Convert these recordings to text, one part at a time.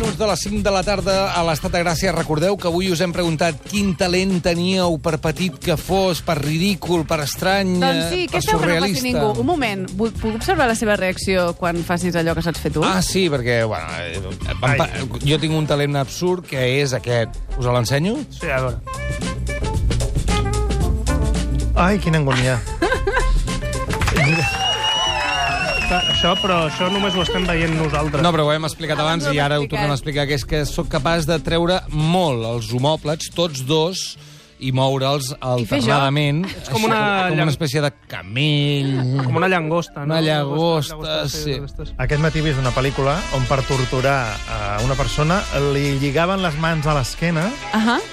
minuts de les 5 de la tarda a l'Estat de Gràcia. Recordeu que avui us hem preguntat quin talent teníeu per petit que fos, per ridícul, per estrany, Doncs sí, per què feu que no faci surrealista. ningú? Un moment, puc observar la seva reacció quan facis allò que saps fer tu? Ah, sí, perquè, bueno, jo tinc un talent absurd que és aquest. Us l'ensenyo? Sí, a veure. Ai, quina angúnia. Però això només ho estem veient nosaltres. No, però ho hem explicat abans Abans ho i hem ara ho explicat. tornem a explicar, que és que sóc capaç de treure molt els homòplats, tots dos, i moure'ls alternadament. Ets com una com una espècie de camell. Com una llagosta, no? Una llagosta, sí. Aquest matí he vist una pel·lícula on per torturar a una persona li lligaven les mans a l'esquena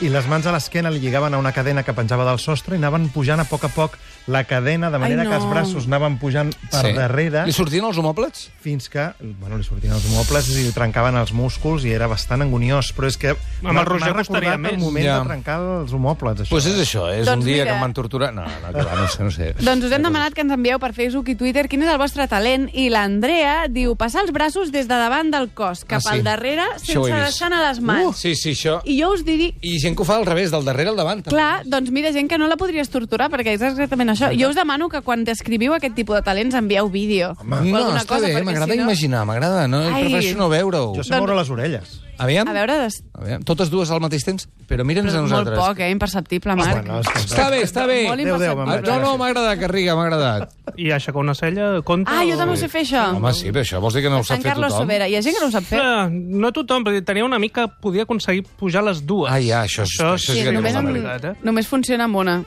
i les mans a l'esquena li lligaven a una cadena que penjava del sostre i anaven pujant a poc la cadena, de manera Ai, no. que els braços anaven pujant per darrere Li sortien els homòplats? fins que li sortien els homòplats i li trencaven els músculs i era bastant anguniós. Però és que Amb el Roger m'ha costaria recordat el més. moment Ja. de trencar els homòplats. Això. Doncs és això, és Doncs un dia mira. que em van torturar. No, clar, no sé. Doncs us hem demanat que ens envieu per Facebook i Twitter quin és el vostre talent, i l'Andrea diu passar els braços des de davant del cos, cap sí. al darrere, Això ho he sense vist. deixar anar les mans. Sí, això. I jo us diria... I gent que ho fa al revés, del darrere al davant. també. Clar, doncs mira, gent que no la podries torturar, perquè és exactament això. Jo us demano que quan descriviu aquest tipus de talents envieu vídeo. O No, alguna està cosa, bé, perquè m'agrada si no... imaginar, m'agrada, no? Ai. Prefereixo no veure-ho. Jo sé moure les orelles. Aviam? A veure, Aviam. Totes dues al mateix temps? Però mira'ns a molt nosaltres. poc, imperceptible, Marc. Bueno, és que... Està bé, està bé. Molt Adéu, adéu, me'n vaig. imperceptible. No, m'ha agradat, Garriga, m'ha agradat. I aixecar una cella compta? Ah, jo també ho sé fer, això. Home, sí, però això vols dir que no ho sap Sant fer Carlos tothom? Sobera. Hi ha gent que no ho sap fer. No tothom, perquè tenia una amica que podia aconseguir pujar les dues. Ah, ja, això sí sí que només, és una veritat, només funciona amb una.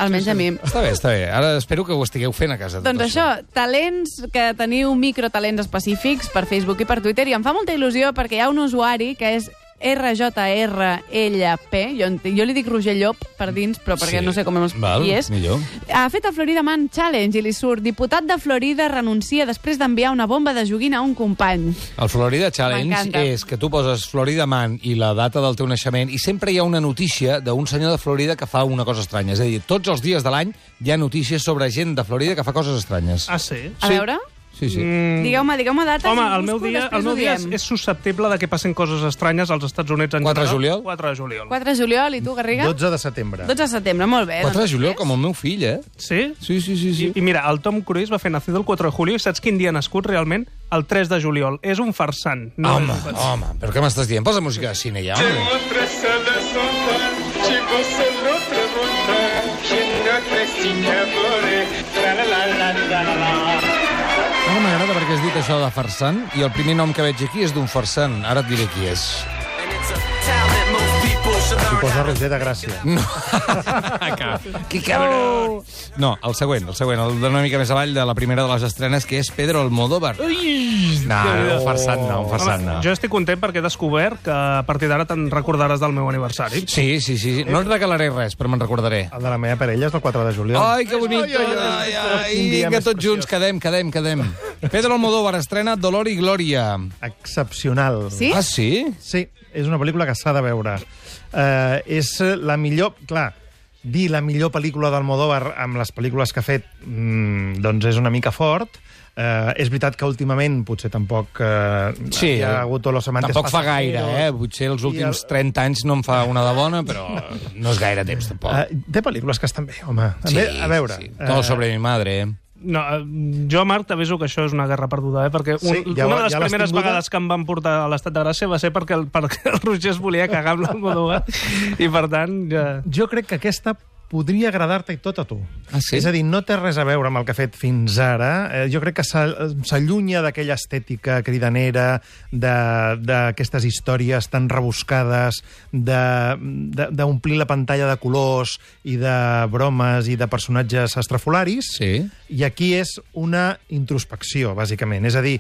Almenys a mi. Està bé, està bé. Ara espero que ho estigueu fent a casa. tot Doncs això, talents que teniu microtalents específics per Facebook i per Twitter, i em fa molta il·lusió perquè hi ha un usuari que és RJRLP, jo li dic Roger Llop per dins, però perquè Sí. no sé com Val, qui és. millor. Ha fet el Florida Man Challenge i li surt: diputat de Florida renuncia després d'enviar una bomba de joguina a un company. El Florida Challenge M'encanta. és que tu poses Florida Man i la data del teu naixement i sempre hi ha una notícia d'un senyor de Florida que fa una cosa estranya. És a dir, tots els dies de l'any hi ha notícies sobre gent de Florida que fa coses estranyes. Ah, sí? A veure? Sí, sí. Digueu-me dates. Home, i el meu busco, dia, després el meu ho dia diem. és susceptible de que passin coses estranyes als Estats Units en 4 de general. juliol? 4 de juliol. 4 de juliol, i tu, Garriga? 12 de setembre. 12 de setembre, molt bé. 4 de doncs juliol, és? com el meu fill, eh? Sí? Sí. I mira, el Tom Cruise va fer Nacido el 4 de julio i saps quin dia ha nascut realment? El 3 de juliol. És un farsant. No Home, és un farsant. home, però què m'estàs dient? Posa música de cine ja, home. Ara m'agrada perquè has dit això de farsant i el primer nom que veig aquí és d'un farsant. Ara et diré qui és. Si posa Roger de Gràcia. No. Que cabrón. No, el següent, el d'una mica més avall de la primera de les estrenes, que és Pedro Almodóvar. No, un farsant no, un farsant no. Jo estic content perquè he descobert que a partir d'ara te'n recordaràs del meu aniversari. Sí. No et regalaré res, però me'n recordaré. El de la meva parella és el 4 de juliol. Ai, que bonic. Ai, Quin dia vinga, més tots junts, quedem. Pedro Almodóvar estrena Dolor y Gloria. Excepcional. Sí? Ah, sí? Sí, és una pel·lícula que s'ha de veure. És la millor... Clar, dir la millor pel·lícula d'Almodóvar amb les pel·lícules que ha fet doncs és una mica fort. És veritat que últimament potser tampoc Sí, hi ha hagut Los amantes tampoc fa gaire, pasajeros. Potser els últims 30 anys no en fa una de bona, però no és gaire temps, tampoc. Té pel·lícules que estan bé, home. A veure. Sí. Todo sobre mi madre. No, jo, Marc, t'aviso que això és una guerra perduda, perquè Sí, ja una de les l'has primeres tinguda? vegades que em van portar a l'Estat de Gràcia va ser perquè el Roger es volia cagar amb l'Almodóvar, i per tant... Ja... Jo crec que aquesta podria agradar-te i tot a tu. Ah, sí? És a dir, no té res a veure amb el que ha fet fins ara. Jo crec que s'allunya d'aquella estètica cridanera, d'aquestes històries tan rebuscades, d'omplir la pantalla de colors i de bromes i de personatges estrafolaris. Sí. I aquí és una introspecció, bàsicament. És a dir,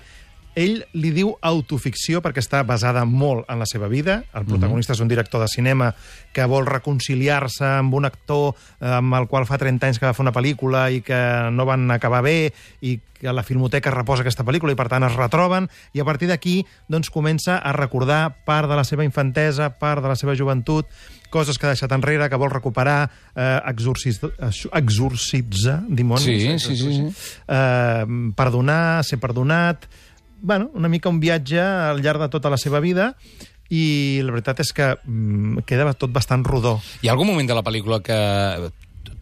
ell li diu autoficció perquè està basada molt en la seva vida. El protagonista és un director de cinema que vol reconciliar-se amb un actor amb el qual fa 30 anys que va fer una pel·lícula i que no van acabar bé i que la Filmoteca reposa aquesta pel·lícula i per tant es retroben, i a partir d'aquí doncs, comença a recordar part de la seva infantesa, part de la seva joventut, coses que ha deixat enrere, que vol recuperar, exorcitzar dimonis, Sí. perdonar, ser perdonat. una mica un viatge al llarg de tota la seva vida, i la veritat és que queda tot bastant rodó. Hi ha algun moment de la pel·lícula que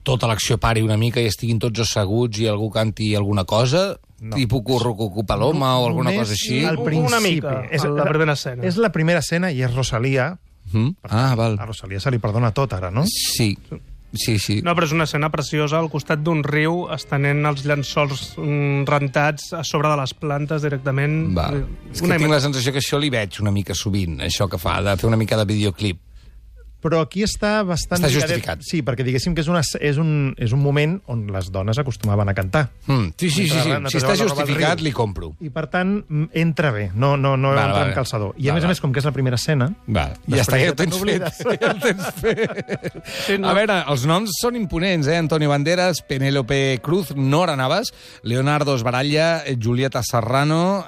tota l'acció pari una mica i estiguin tots asseguts i algú canti alguna cosa? No. Tipus Currucucu Paloma o alguna cosa així? Al principi. Una mica, la primera escena. És la primera escena i és Rosalía. Val. A Rosalía se li perdona tot, ara, no? Sí. No, però és una escena preciosa al costat d'un riu, estenent els llençols rentats a sobre de les plantes directament. És que tinc la sensació que això li veig una mica sovint, això que fa, de fer una mica de videoclip. Però aquí està bastant... Està justificat. Sí, perquè diguéssim que és un moment on les dones acostumaven a cantar. Sí. Si està justificat, li compro. I, per tant, entra bé. No entra en calçador. I, a més, com que és la primera escena... Ja està, ja ho tens fet. A veure, els noms són imponents, Antonio Banderas, Penélope Cruz, Nora Navas, Leonardo Sbaraglia, Julieta Serrano,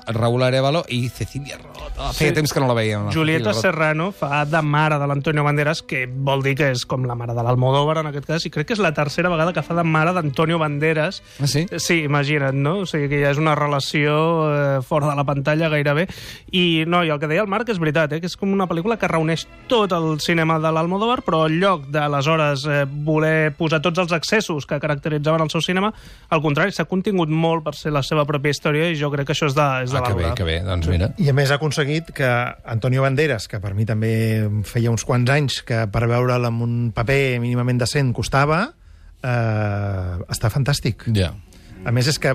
Raúl Arévalo i Cecilia Roth. Feia temps que no la veiem. Julieta Serrano fa de mare de Antonio Banderas, que vol dir que és com la mare de l'Almodóvar, en aquest cas, i crec que és la tercera vegada que fa de mare d'Antonio Banderas. Ah, sí? Sí, imagina't, no? O sigui que ja és una relació fora de la pantalla gairebé. I el que deia el Marc és veritat, que és com una pel·lícula que reuneix tot el cinema de l'Almodóvar, però en lloc d'aleshores voler posar tots els excessos que caracteritzaven el seu cinema, al contrari, s'ha contingut molt per ser la seva pròpia història, i jo crec que això és de valorar. Que bé, doncs mira. I a més ha aconseguit que Antonio Banderas, que per mi també feia uns quants anys que per veure'l amb un paper mínimament decent costava, està fantàstic. Ja. A més, és que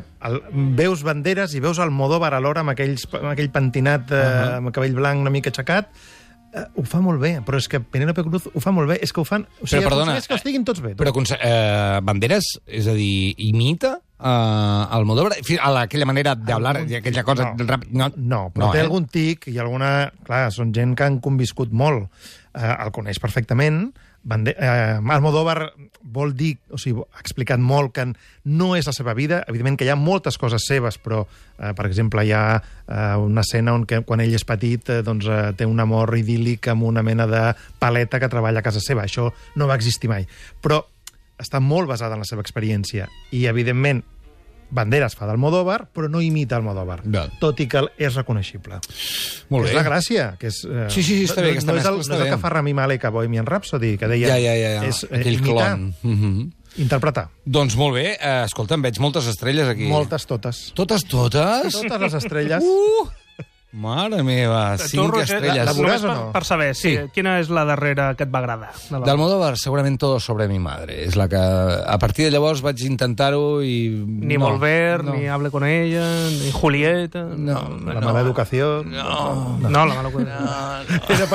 veus Banderas i veus Almodóvar alhora amb aquell pentinat amb cabell blanc una mica aixecat. Ho fa molt bé, però és que Penélope Cruz ho fa molt bé. És que ho fan... Però, perdona... És que estiguin tots bé. Però Banderas, és a dir, imita Almodóvar a aquella manera d'hablar, aquella cosa... No, però té algun tic i alguna... Clar, són gent que han conviscut molt. El coneix perfectament. Almodóvar vol dir, o sigui, ha explicat molt que no és la seva vida. Evidentment que hi ha moltes coses seves, però, per exemple, hi ha una escena on quan ell és petit té un amor idíl·lic amb una mena de paleta que treballa a casa seva. Això no va existir mai. Però està molt basada en la seva experiència. I, evidentment, Banderas fa d'Almodóvar, però no imita Almodóvar, tot i que és reconeixible. Molt bé. És la gràcia. Que és, sí, està bé, aquesta mescla està bé. No és el que fa Rami Malek a Bohemian Rhapsody, que deia... És aquell imitar, clon. Interpretar. Doncs molt bé. Escolta, em veig moltes estrelles aquí. Moltes, totes. Totes? Totes les estrelles. Mare meva, 5 estrelles. La veuràs o no? Per saber, quina és la darrera que et va agradar? D'Almodóvar, segurament Todo sobre mi madre. És la que, a partir de llavors, vaig intentar-ho i... Ni Volver, ni Hable con ella, ni Julieta... La mala educació... No, la mala educació...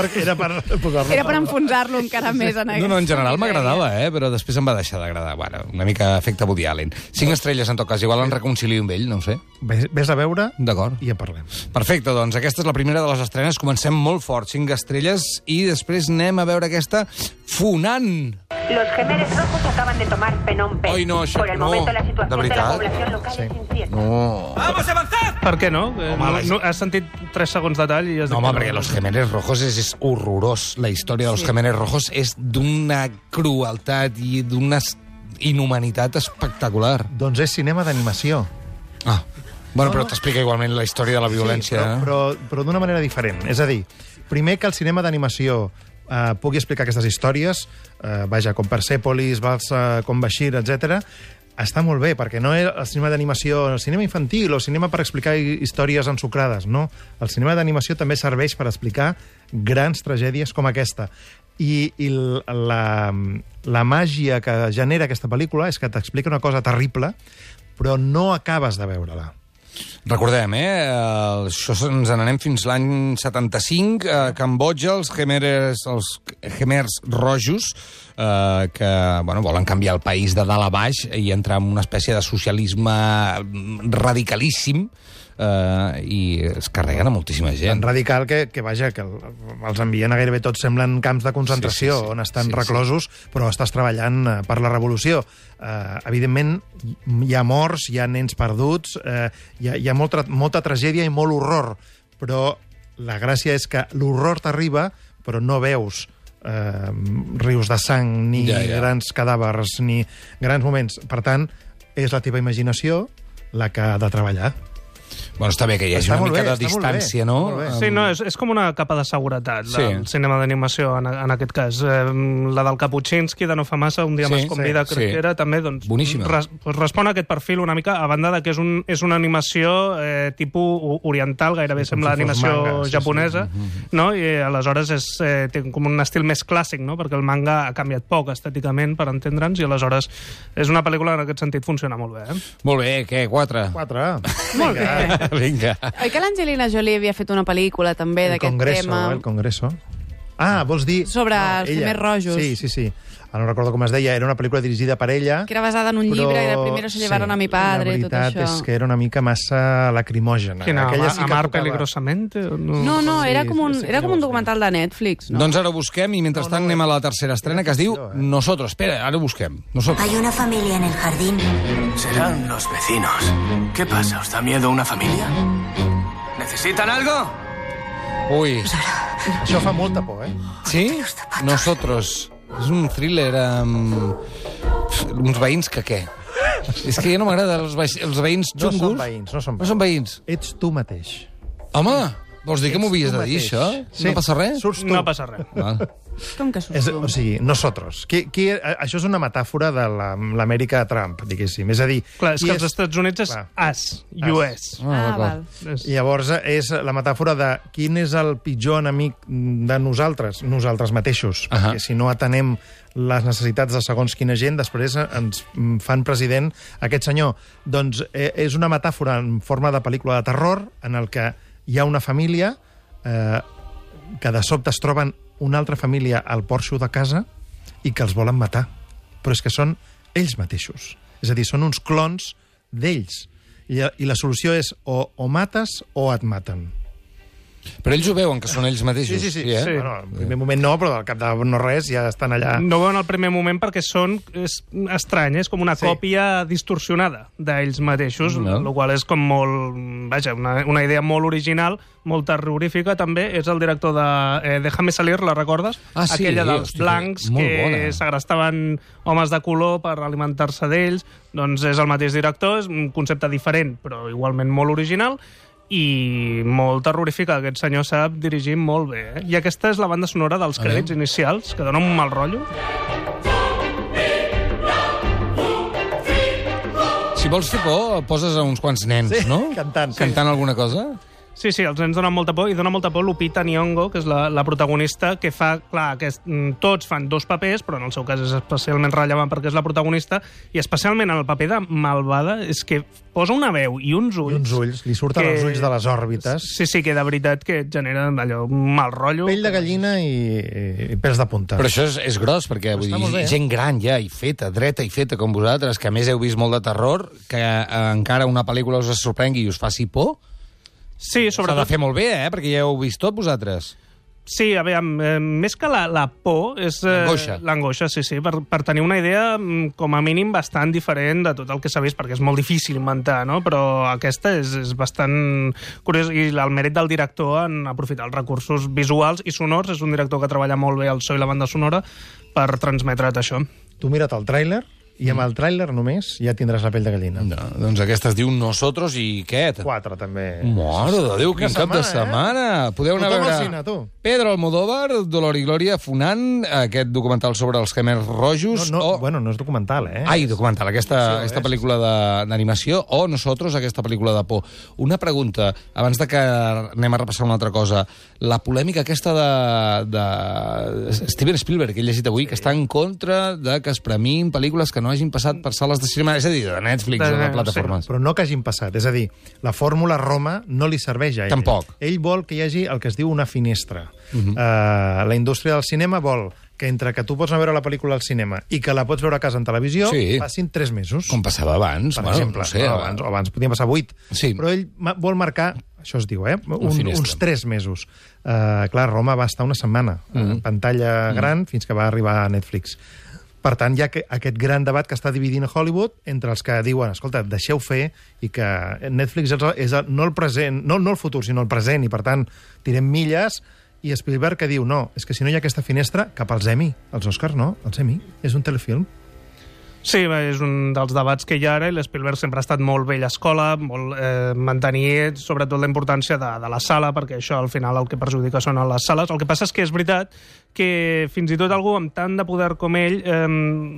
Era per enfonsar-lo encara més en aquest... No, en general m'agradava, però després em va deixar d'agradar. Bueno, una mica efecte Woody Allen. 5 estrelles, en tot cas. Igual en reconcilio amb ell, no ho sé. Ves a veure i en parlem. Perfecte, doncs aquesta és la primera de les estrenes. Comencem molt fort, 5 estrelles, i després anem a veure aquesta Funan. Los Gemeres Rojos acaban de tomar Phnom Penh. Ai, no, això... Por el momento la situación de la población local es incierta. No. ¡Vamos a avanzar! Per què no? Has sentit 3 segons de tall i has dit... No, home, perquè Los Gemeres Rojos és horrorós. La història dels Gemeres Rojos és d'una crueltat i d'una inhumanitat espectacular. Doncs és cinema d'animació. Bueno, però t'explica igualment la història de la violència. Sí, però d'una manera diferent. És a dir, primer que el cinema d'animació pugui explicar aquestes històries, com Persepolis, com Bashir, etc., està molt bé, perquè no és el cinema d'animació, el cinema infantil o cinema per explicar històries ensucrades, no. El cinema d'animació també serveix per explicar grans tragèdies com aquesta. I la màgia que genera aquesta pel·lícula és que t'explica una cosa terrible, però no acabes de veure-la. Recordem, això ens n'anem fins l'any 75, a Cambodja, els Khmers rojos, que volen canviar el país de dalt a baix i entrar en una espècie de socialisme radicalíssim, i es carreguen a moltíssima gent. Tan radical que els envien a gairebé tots, semblen camps de concentració, on estan reclosos, però estàs treballant per la revolució. Evidentment, hi ha morts, hi ha nens perduts, hi ha molta tragèdia i molt horror, però la gràcia és que l'horror t'arriba, però no veus rius de sang, ni grans cadàvers, ni grans moments. Per tant, és la teva imaginació la que ha de treballar. Bueno, està bé que hi hagi una mica de distància, no? Sí, no, és com una capa de seguretat del cinema d'animació, en aquest cas. La del Kapuscinski, de no fa massa, Un dia més con vida, crec que era, també, doncs, respon a aquest perfil una mica, a banda de que és una animació tipus oriental, gairebé sembla animació japonesa, no? I aleshores té com un estil més clàssic, no? Perquè el manga ha canviat poc estèticament, per entendre'ns, i aleshores és una pel·lícula que en aquest sentit funciona molt bé. Molt bé, què? 4? 4. Molt bé. Vinga. Oi que l'Angelina Jolie havia fet una pel·lícula també d'aquest tema? El Congreso. Ah, vols dir... Sobre els Khmers rojos. Sí. Ara no recordo com es deia, era una pel·lícula dirigida per ella... Que era basada en un llibre, era Primero se llevaron a mi padre, tot això. La veritat és que era una mica massa lacrimògena. Quina, Amar peligrosamente? No, era com un documental de Netflix, no? Doncs ara ho busquem i mentrestant anem a la tercera estrena que es diu Nosotros. Espera, ara ho busquem. Hay una familia en el jardín. Serán los vecinos. ¿Qué pasa? ¿Os da miedo una familia? ¿Necesitan algo? Ui. Això fa molta por, Sí? Nosotros. És un thriller amb uns veïns que què? És que ja no m'agrada els veïns xungos. No són veïns. Ets tu mateix. Home, vols dir que m'ho havies de dir, això? No passa res? Surts tu. No passa res. Com que surts tu? O sigui, nosotros. Això és una metàfora de l'Amèrica de Trump, diguéssim. És a dir... Clar, és que els Estats Units és US, US. Val. Llavors, és la metàfora de quin és el pitjor enemic de nosaltres mateixos. Perquè si no atenem les necessitats de segons quina gent, després ens fan president aquest senyor. Doncs és una metàfora en forma de pel·lícula de terror en el que hi ha una família que de sobte es troben una altra família al porxo de casa i que els volen matar. Però és que són ells mateixos. És a dir, són uns clons d'ells. I la solució és o mates o et maten. Però ells ho veuen, que són ells mateixos. Sí. Bueno, al primer moment no, però al cap de no res ja estan allà... No ho veuen al primer moment perquè és estrany, és com una còpia distorsionada d'ells mateixos, el qual és com molt... Vaja, una idea molt original, molt terrorífica, també. És el director de Déjame salir, la recordes? Aquella dels blancs que segrestaven homes de color per alimentar-se d'ells. Doncs és el mateix director, és un concepte diferent, però igualment molt original, i molt terrorífica. Aquest senyor sap dirigir molt bé. I aquesta és la banda sonora dels crèdits inicials, que dona un mal rotllo. Si vols fer por, poses a uns quants nens, no? Cantant alguna cosa? Sí, els nens donen molta por, i dona molta por Lupita Nyong'o, que és la protagonista, que fa, clar, que tots fan dos papers, però en el seu cas és especialment rellevant perquè és la protagonista, i especialment en el paper de malvada, és que posa una veu i uns ulls... Li surten els ulls de les òrbites. Sí, que de veritat que genera allò, un mal rotllo. Pell de gallina i pèls de punta. Però això és gros, perquè vull dir, gent gran ja, i feta, dreta i feta com vosaltres, que a més heu vist molt de terror, que encara una pel·lícula us sorprengui i us faci por. Sí, sobretot... S'ha de fer molt bé, perquè ja heu vist tot vosaltres. Sí, a veure, més que la por és... L'angoixa, sí, per tenir una idea com a mínim bastant diferent de tot el que s'ha vist, perquè és molt difícil inventar, no? Però aquesta és bastant curiós, i el mèrit del director en aprofitar els recursos visuals i sonors. És un director que treballa molt bé el so i la banda sonora per transmetre't això. Tu mira't el tràiler, i amb el tràiler només ja tindràs la pell de gallina. No, doncs aquesta es diu Nosotros i què? 4, també. Mare de Déu, quin cap de setmana! Podeu anar a veure Pedro Almodóvar, Dolor i Glòria, Funan, aquest documental sobre els Khmers rojos... Bueno, no és documental, Ai, documental, aquesta pel·lícula d'animació, o Nosotros, aquesta pel·lícula de por. Una pregunta, abans de que anem a repassar una altra cosa. La polèmica aquesta de Steven Spielberg, que he llegit avui, que està en contra de que es premin pel·lícules que no hagin passat per sales de cinema, és a dir, de Netflix o de plataformes. Però no que hagin passat, és a dir, la fórmula Roma no li serveix a ell. Tampoc. Ell vol que hi hagi el que es diu una finestra. La indústria del cinema vol que entre que tu pots anar a veure la pel·lícula al cinema i que la pots veure a casa en televisió, passin 3 mesos. Com passava abans. Per exemple. No sé, abans podien passar 8. Sí. Però ell vol marcar, això es diu, uns 3 mesos. Clar, Roma va estar una setmana en pantalla gran fins que va arribar a Netflix. Per tant, hi ha aquest gran debat que està dividint Hollywood entre els que diuen, escolta, deixeu fer, i que Netflix és no el present, no el futur, sinó el present, i per tant tirem milles, i Spielberg que diu, no, és que si no hi ha aquesta finestra, cap als Emmy, els Oscars no, els Emmy, és un telefilm. Sí, és un dels debats que hi ha ara, i l'Spielberg sempre ha estat molt vella escola, molt mantenir sobretot la importància de la sala, perquè això al final el que perjudica són les sales. El que passa és que és veritat que fins i tot algú amb tant de poder com ell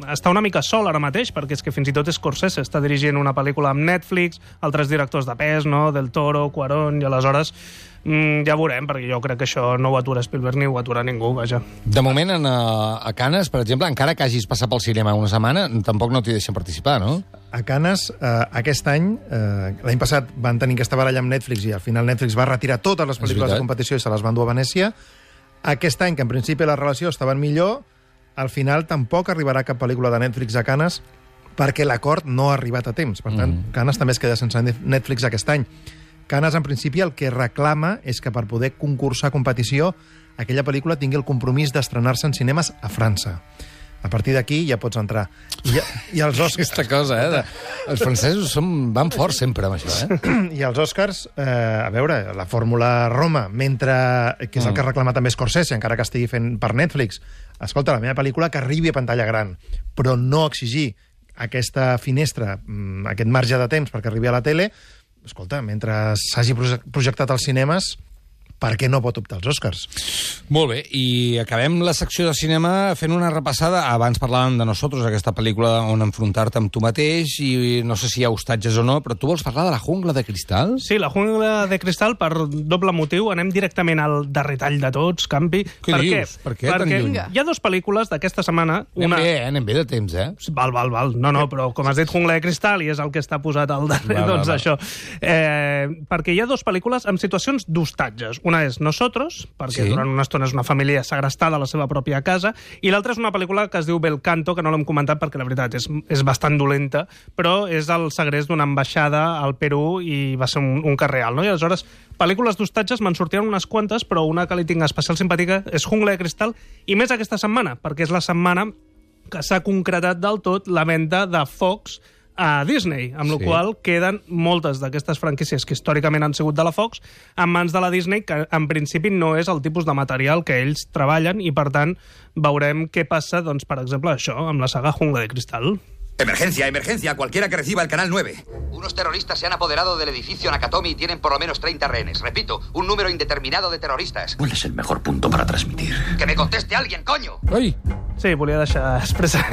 està una mica sol ara mateix, perquè és que fins i tot Scorsese està dirigint una pel·lícula amb Netflix, altres directors de pes, no? Del Toro, Cuarón, i aleshores ja veurem, perquè jo crec que això no ho atura Spielberg ni ho atura ningú, vaja. De moment, a Canes, per exemple, encara que hagis passat pel cinema una setmana, tampoc no t'hi deixen participar, no? A Canes, aquest any, l'any passat van tenir aquesta baralla amb Netflix i al final Netflix va retirar totes les pel·lícules de competició i se les van dur a Venècia. Aquest any, que en principi la relació estava millor, al final tampoc arribarà cap pel·lícula de Netflix a Canes perquè l'acord no ha arribat a temps. Per tant, Canes també es queda sense Netflix aquest any. Canes, en principi, el que reclama és que per poder concursar a competició aquella pel·lícula tingui el compromís d'estrenar-se en cinemes a França. A partir d'aquí ja pots entrar. I els Oscars... Aquesta cosa, els francesos van forts sempre amb això, I els Oscars, a veure, la fórmula Roma, que és el que reclama també Scorsese, encara que estigui fent per Netflix. Escolta, la meva pel·lícula que arribi a pantalla gran, però no exigir aquesta finestra, aquest marge de temps perquè arribi a la tele. Escolta, mentre s'hagi projectat als cinemes, per què no pot optar als Oscars? Molt bé, i acabem la secció de cinema fent una repassada. Abans parlàvem de Nosotros, aquesta pel·lícula on enfrontar-te amb tu mateix, i no sé si hi ha hostatges o no, però tu vols parlar de La jungla de cristal? Sí, La jungla de cristal, per doble motiu. Anem directament al darrer tall de tots, Campi. Què dius? Per què tan lluny? Hi ha dues pel·lícules d'aquesta setmana. Anem bé de temps, Val. No, però com has dit Jungla de cristal i és el que està posat al darrer, doncs això. Perquè hi ha dues pel·lícules amb situacions d'hostatges. Una és Nosotros, perquè durant una estona és una família segrestada a la seva pròpia casa, i l'altra és una pel·lícula que es diu Bel Canto, que no l'hem comentat perquè la veritat és bastant dolenta, però és el segrest d'una ambaixada al Perú i va ser un cas real, no? I aleshores, pel·lícules d'hostatges me'n sortien unes quantes, però una que li tinc especial simpàtica és Jungla de cristal, i més aquesta setmana, perquè és la setmana que s'ha concretat del tot la venda de Fox a Disney, amb la qual queden moltes d'aquestes franquícies que històricament han sigut de la Fox en mans de la Disney, que en principi no és el tipus de material que ells treballen, i per tant veurem què passa, doncs, per exemple, això, amb la saga Jungla de Cristal. Emergencia, emergencia, cualquiera que reciba el canal 9. Unos terroristas se han apoderado del edificio Nakatomi y tienen por lo menos 30 rehenes. Repito, un número indeterminado de terroristas. ¿Cuál es el mejor punto para transmitir? ¡Que me conteste alguien, coño! Ai! Sí, volia deixar expressar.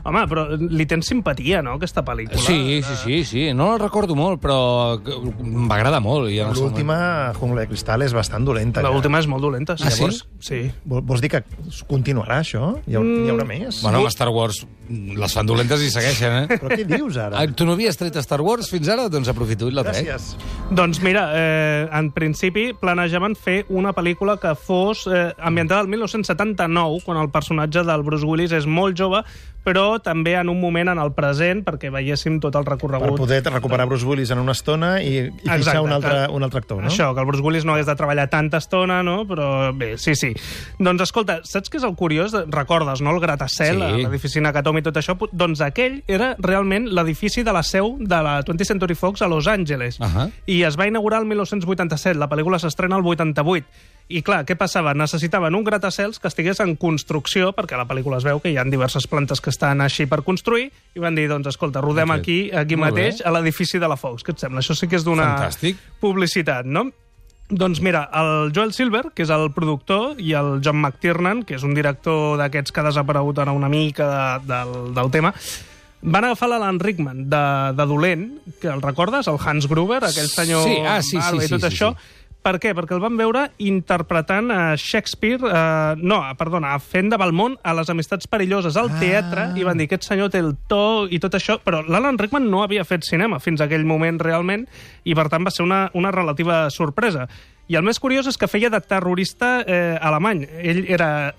Home, però li tens simpatia, no, aquesta pel·lícula? Sí. No la recordo molt, però m'agrada molt. L'última, Jungla de cristal, és bastant dolenta. L'última és molt dolenta. Llavors, sí? Vols dir que continuarà, això? Hi haurà més? Bueno, amb Star Wars les fan dolentes i segueixen, Però què dius, ara? Tu no havies tret Star Wars fins ara? Doncs aprofito i la trec. Gràcies. Doncs mira, en principi planejaven fer una pel·lícula que fos ambientada al 1979, quan el personatge del Bruce Willis és molt jove, però també en un moment en el present, perquè veiéssim tot el recorregut. Per poder recuperar Bruce Willis en una estona i fixar un altre actor, no? Això, que el Bruce Willis no hagués de treballar tanta estona, no? Però bé, sí. Doncs escolta, saps què és el curiós? Recordes, no?, el gratacel, l'edifici Nakatomi i tot això? Doncs aquell era realment l'edifici de la seu de la 20th Century Fox a Los Angeles. I es va inaugurar el 1987. La pel·lícula s'estrena el 88. I clar, què passava? Necessitaven un gratacels que estigués en construcció, perquè a la pel·lícula es veu que hi ha diverses plantes que estan així per construir, i van dir, doncs, escolta, rodem aquí mateix, a l'edifici de la Fox. Què et sembla? Això sí que és d'una publicitat, no? Doncs mira, el Joel Silver, que és el productor, i el John McTiernan, que és un director d'aquests que ha desaparegut ara una mica del tema, van agafar l'Alan Rickman de dolent, que el recordes? El Hans Gruber, aquell senyor barba i tot això. Per què? Perquè el van veure interpretant Shakespeare, fent de Valmont a Les amistats perilloses al teatre, i van dir, aquest senyor té el to i tot això, però l'Alan Rickman no havia fet cinema fins a aquell moment realment, i per tant va ser una relativa sorpresa. I el més curiós és que feia de terrorista alemany. Ell era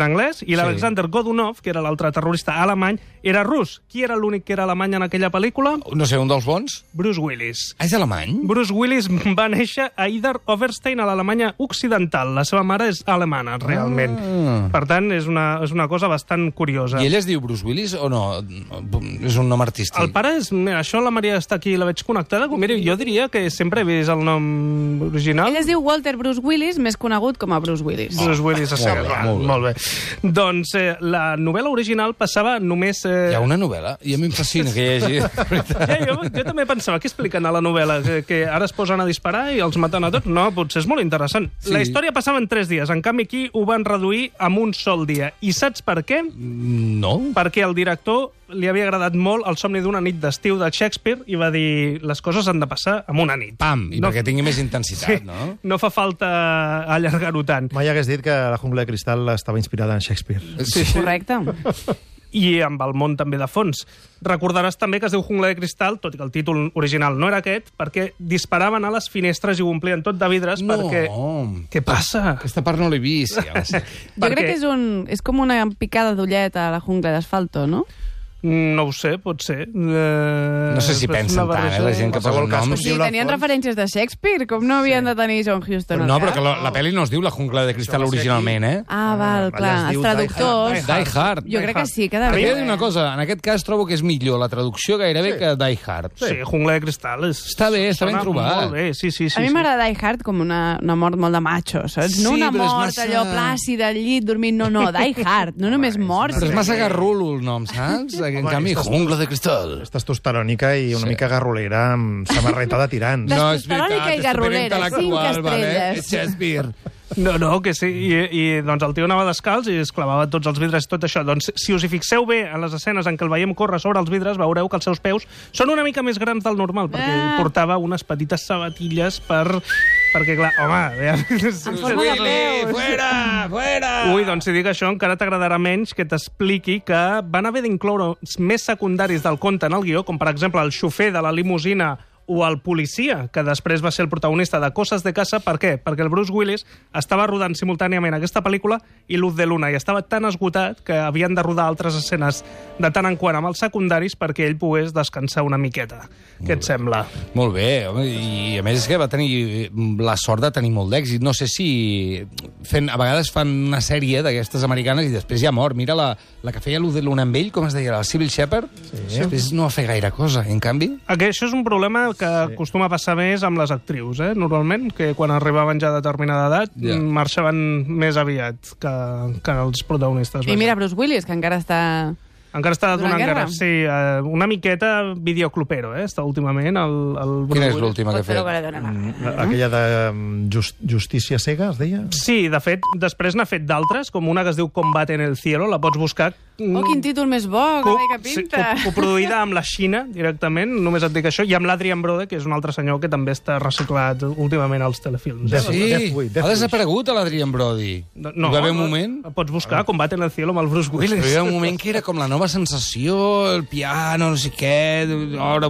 anglès, i l'Alexander Godunov, que era l'altre terrorista alemany, era rus. Qui era l'únic que era alemany en aquella pel·lícula? No sé, un dels bons? Bruce Willis. És alemany? Bruce Willis va néixer a Idar Oberstein, a l'Alemanya occidental. La seva mare és alemana, realment. Per tant, és una cosa bastant curiosa. I ell es diu Bruce Willis o no? És un nom artístic? El pare és... Mira, això la Maria està aquí i la veig connectada. Mira, jo diria que sempre he vist el nom l'original. Ell es diu Walter Bruce Willis, més conegut com a Bruce Willis. Bruce Willis a segle. Molt bé. Doncs la novel·la original passava només... Hi ha una novel·la? I a mi em fascina que hi hagi... Jo també pensava, què expliquen a la novel·la? Que ara es posen a disparar i els maten a tots? No, potser és molt interessant. Sí. La història passava en 3 dies, en canvi aquí ho van reduir en un sol dia. I saps per què? No. Perquè al director li havia agradat molt El somni d'una nit d'estiu de Shakespeare i va dir, les coses han de passar en una nit. Pam, i perquè tingui més intensitat, no? No fa falta allargar-ho tant. Mai hagués dit que la jungla de cristal estava inspirada en Shakespeare. Sí. Correcte. I amb el món també de fons. Recordaràs també que es diu Jungla de Cristal, tot i que el títol original no era aquest, perquè disparaven a les finestres i ho omplien tot de vidres perquè... Què passa? Aquesta part no l'he vist. Ja Jo crec que és com una picada d'ullet a la jungla d'asfalto, no? No ho sé, pot ser. No sé si pensen tant, la gent que posa noms. Sí, tenien referències de Shakespeare, com no havien de tenir John Huston. No, però que la pel·li no es diu La jungla de cristal originalment, eh? Ah, val, clar. Els traductors... Die Hard. Jo crec que sí, que Perquè he de devia... dir una cosa, en aquest cas trobo que és millor la traducció gairebé que Die Hard. Sí, Jungla de Cristal és... Està bé, està ben trobat. Molt bé, sí. A mi m'agrada Die Hard com una mort molt de macho, saps? No una mort allò plàcida al llit dormint, no, Die Hard, no només morts. Però és massa garrulo el nom, saps? En canvi, Jungla de cristal. És testosterònica i una mica garrolera amb samarreta de tirants. No, és Testosterònica i garrolera, 5 estrelles. Shakespeare. No, que sí. I doncs el tio anava descalç i es clavava tots els vidres i tot això. Doncs si us hi fixeu bé en les escenes en què el veiem córrer sobre els vidres, veureu que els seus peus són una mica més grans del normal, perquè portava unes petites sabatilles perquè, clar, home... Fuera! Ui, doncs si dic això encara t'agradarà menys que t'expliqui que van haver d'incloure més secundaris del conte en el guió, com per exemple el xofer de la limusina o el policia, que després va ser el protagonista de Coses de casa. Per què? Perquè el Bruce Willis estava rodant simultàniament aquesta pel·lícula i Luz de Luna, i estava tan esgotat que havien de rodar altres escenes de tant en quant amb els secundaris perquè ell pogués descansar una miqueta. Què et sembla? Molt bé, home, i a més és que va tenir la sort de tenir molt d'èxit. No sé si a vegades fan una sèrie d'aquestes americanes i després ja mor. Mira la que feia Luz de Luna amb ell, com es deia, la Sybil Shepherd, després no va fer gaire cosa, en canvi... Això és un problema que acostuma a passar més amb les actrius, normalment, que quan arribaven ja a determinada edat marxaven més aviat que els protagonistes. I mira Bruce Willis, que encara està... Encara està donant guerra. Sí, una miqueta videoclubero, està últimament. Quina és l'última que ha fet? Aquella de Justícia cega, es deia? Sí, de fet, després n'ha fet d'altres, com una que es diu Combat en el cielo, la pots buscar. Oh, quin títol més bo, que pinta. Coproduïda amb la Xina, directament, només et dic això, i amb l'Adrian Brode, que és un altre senyor que també està reciclat últimament als telefilms. Sí, ha desaparegut l'Adrian Brody. No, hi va haver un moment... Pots buscar Combat en el cielo amb el Bruce Willis. Però hi va un moment que era com la nova sensació, el piano, no sé què, ara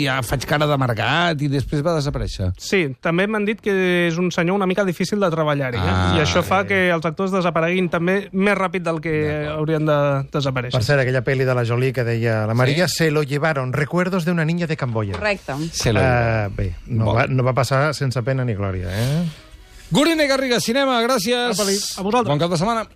ja faig cara d'amargat, i després va desaparèixer. Sí, també m'han dit que és un senyor una mica difícil de treballar-hi, i això fa que els actors desapareguin també més ràpid del que haurien de desaparèixer. Per cert, aquella pel·li de la Jolie que deia la Maria, se lo llevaron, recuerdos de una niña de Camboya. Correcte. Bé, no va passar sense pena ni glòria, Gurine Garriga, cinema, gràcies. A vosaltres. Bon cap de setmana.